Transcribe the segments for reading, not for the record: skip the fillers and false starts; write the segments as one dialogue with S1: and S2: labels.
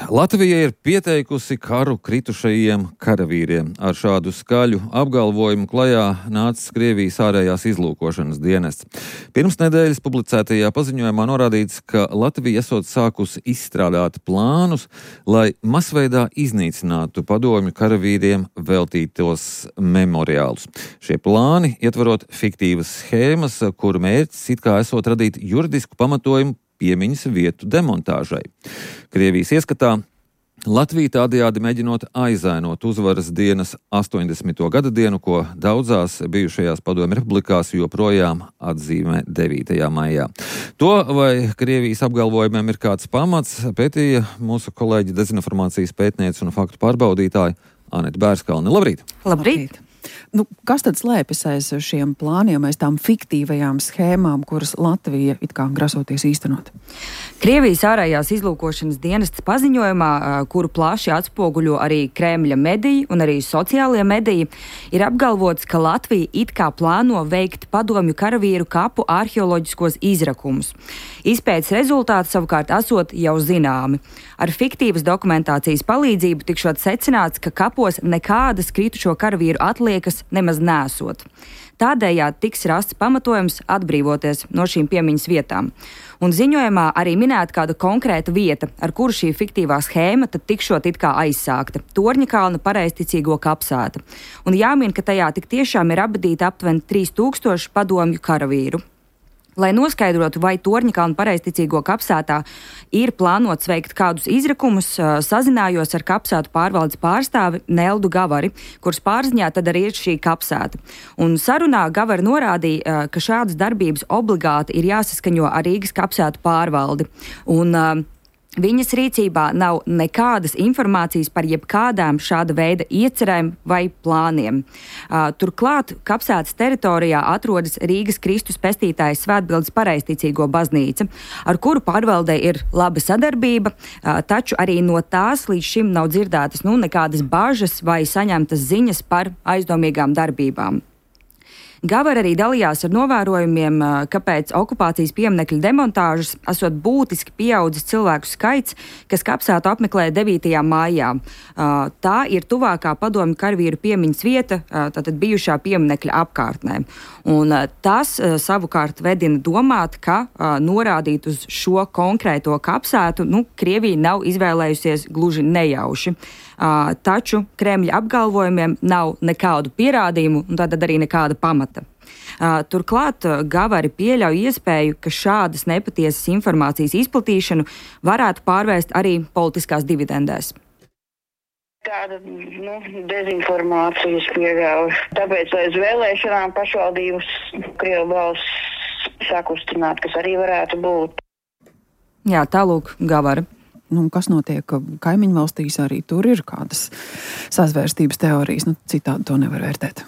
S1: Latvija ir pieteikusi karu kritušajiem karavīriem. Ar šādu skaļu apgalvojumu klajā nācis Krievijas ārējās izlūkošanas dienests. Pirms nedēļas publicētajā paziņojumā norādīts, ka Latvija esot sākusi izstrādāt plānus, lai masveidā iznīcinātu padomju karavīriem veltītos memoriālus. Šie plāni ietverot fiktīvas schēmas, kuru mērķis it kā esot radīt juridisku pamatojumu piemiņas vietu demontāžai. Krievijas ieskatā Latvija tādējādi mēģinot aizainot uzvaras dienas 80. gada dienu, ko daudzās bijušajās padomju republikās joprojām atzīmē 9. maijā. To, vai Krievijas apgalvojumiem ir kāds pamats, pētīja mūsu kolēģi dezinformācijas pētniece un faktu pārbaudītāja Anete Bērskalne. Labrīt!
S2: Labrīt! Kas tad slēpjas aiz šiem plāniem, aiz tām fiktīvajām schēmām, kuras Latvija it kā grasoties īstenot?
S3: Krievijas ārējās izlūkošanas dienestas paziņojumā, kuru plaši atspoguļo arī Kremļa mediji un arī sociālie mediji, ir apgalvots, ka Latvija it kā plāno veikt padomju karavīru kapu arheoloģiskos izrakumus. Izpētes rezultāti savukārt esot jau zināmi. Ar fiktīvas dokumentācijas palīdzību tikšot secināts, ka kapos nekādas kritušo karavīru atliekas nemaz nesot. Tādējādi tiks rasts pamatojums atbrīvoties no šīm piemiņas vietām. Un ziņojumā arī minēta kāda konkrēta vieta, ar kuru šī fiktīvā schēma tad tikšot it kā aizsākta - Torņakalna pareizticīgo kapsēta. Un jāmin, ka tajā tik tiešām ir apbedīta aptuveni 3000 padomju karavīru. Lai noskaidrotu, vai Torņakalna pareizticīgo kapsētā ir plānots veikt kādus izrakumus, sazinājos ar kapsētu pārvaldes pārstāvi Neldu Gavari, kuras pārziņā tad arī ir šī kapsēta. Un sarunā Gavari norādīja, ka šādas darbības obligāti ir jāsaskaņo ar Rīgas kapsētu pārvaldi. Un viņas rīcībā nav nekādas informācijas par jebkādām šāda veida iecerēm vai plāniem. Turklāt kapsētas teritorijā atrodas Rīgas Kristus Pestītājas Svētbildes pareizticīgo baznīca, ar kuru pārvaldē ir laba sadarbība, taču arī no tās līdz šim nav dzirdētas nekādas bažas vai saņemtas ziņas par aizdomīgām darbībām. Gavar arī dalījās ar novērojumiem, ka pēc okupācijas pieminekļa demontāžas esot būtiski pieaudzis cilvēku skaits, kas kapsētu apmeklē 9. maijā. Tā ir tuvākā padomju karavīru piemiņas vieta, tātad bijušā pieminekļa apkārtnē. Un tas savukārt vedina domāt, ka norādīt uz šo konkrēto kapsētu, Krievija nav izvēlējusies gluži nejauši. Taču Kremļa apgalvojumiem nav nekādu pierādījumu un tātad arī nekāda pamata. Turklāt Gavari pieļauj iespēju, ka šādas nepatiesas informācijas izplatīšanu varētu pārvērst arī politiskās dividendēs.
S4: Tāda dezinformācijas pieļauj. Tāpēc aiz vēlēšanām pašvaldības Krievu balss sakustināt, kas arī varētu būt.
S3: Jā, tālūk Gavari.
S2: Kas notiek kaimiņu valstīs, arī tur ir kādas sazvērstības teorijas, citādi to nevar vērtēt.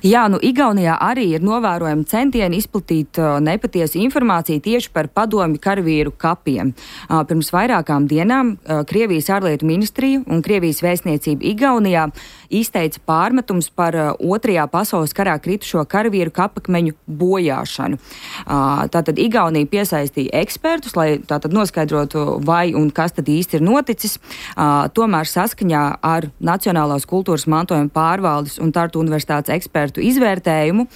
S3: Jā, Igaunijā arī ir novērojami centieni izplatīt nepatiesu informāciju tieši par padomju karavīru kapiem. Pirms vairākām dienām Krievijas ārlietu ministrija un Krievijas vēstniecība Igaunijā izteica pārmetums par 2. pasaules karā kritušo karavīru kapakmeņu bojāšanu. Tātad Igaunija piesaistīja ekspertus, lai tātad noskaidrotu, vai un kas tad īsti ir noticis. Tomēr saskaņā ar Nacionālās kultūras mantojuma pārvaldes un Tartu universitātes ekspertu izvērtējumu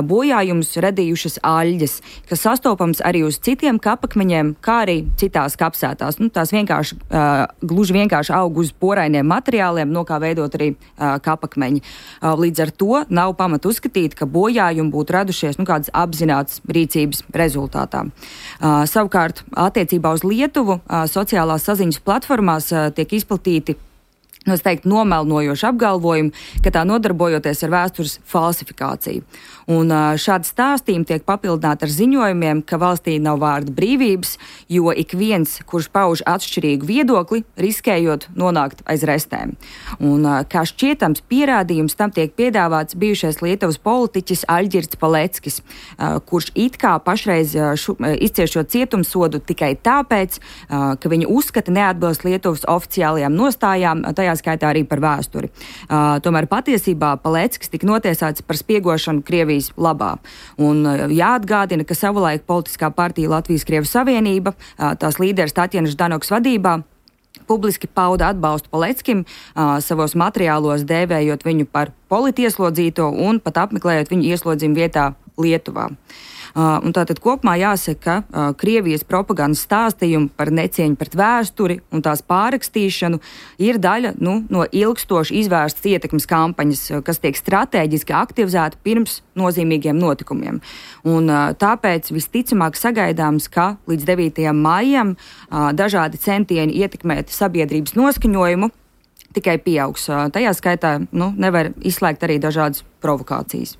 S3: bojājumus radījušas aļģes, kas sastopams arī uz citiem kapakmeņiem, kā arī citās kapsētās. Tās gluži vienkārši aug uz porainiem materiāliem, no kā veidot arī kapakmeņi. Līdz ar to nav pamata uzskatīt, ka bojājumi būtu radušies kādas apzinātas rīcības rezultātā. Savukārt, attiecībā uz Lietuvu sociālās saziņas platformās tiek izplatīti nomelnojoši apgalvojumi, ka tā nodarbojoties ar vēstures falsifikāciju. Un šādi stāstījumi tiek papildināti ar ziņojumiem, ka valstī nav vārda brīvības, jo ik viens, kurš pauž atšķirīgu viedokli, riskējot nonākt aiz restēm. Un kā šķietams pierādījums tam tiek piedāvāts bijušais Lietuvas politiķis Aļģirds Paleckis, kurš it kā pašreiz izciešot cietumsodu tikai tāpēc, ka viņa uzskata neatbilst Lietuvas oficiālajām nostājām, tajā skaitā arī par vēsturi. Tomēr patiesībā Paleckis tika notiesāts par spiegošanu Krievijas labā. Un jāatgādina, ka savulaik politiskā partija Latvijas Krievu Savienība, tās līderis Tatjana Ždanokas vadībā, publiski pauda atbalstu Paleckim, savos materiālos dēvējot viņu par politieslodzīto un pat apmeklējot viņu ieslodzījumu vietā Lietuvā. Un tātad kopumā jāsaka, ka Krievijas propagandas stāstījumi par necieņu pret vēsturi un tās pārrakstīšanu ir daļa no ilgstoši izvērstas ietekmes kampaņas, kas tiek stratēģiski aktivizēta pirms nozīmīgiem notikumiem. Un tāpēc visticamāk sagaidāms, ka līdz 9. maijam dažādi centieni ietekmēt sabiedrības noskaņojumu tikai pieaugs. Tajā skaitā nevar izslēgt arī dažādas provokācijas.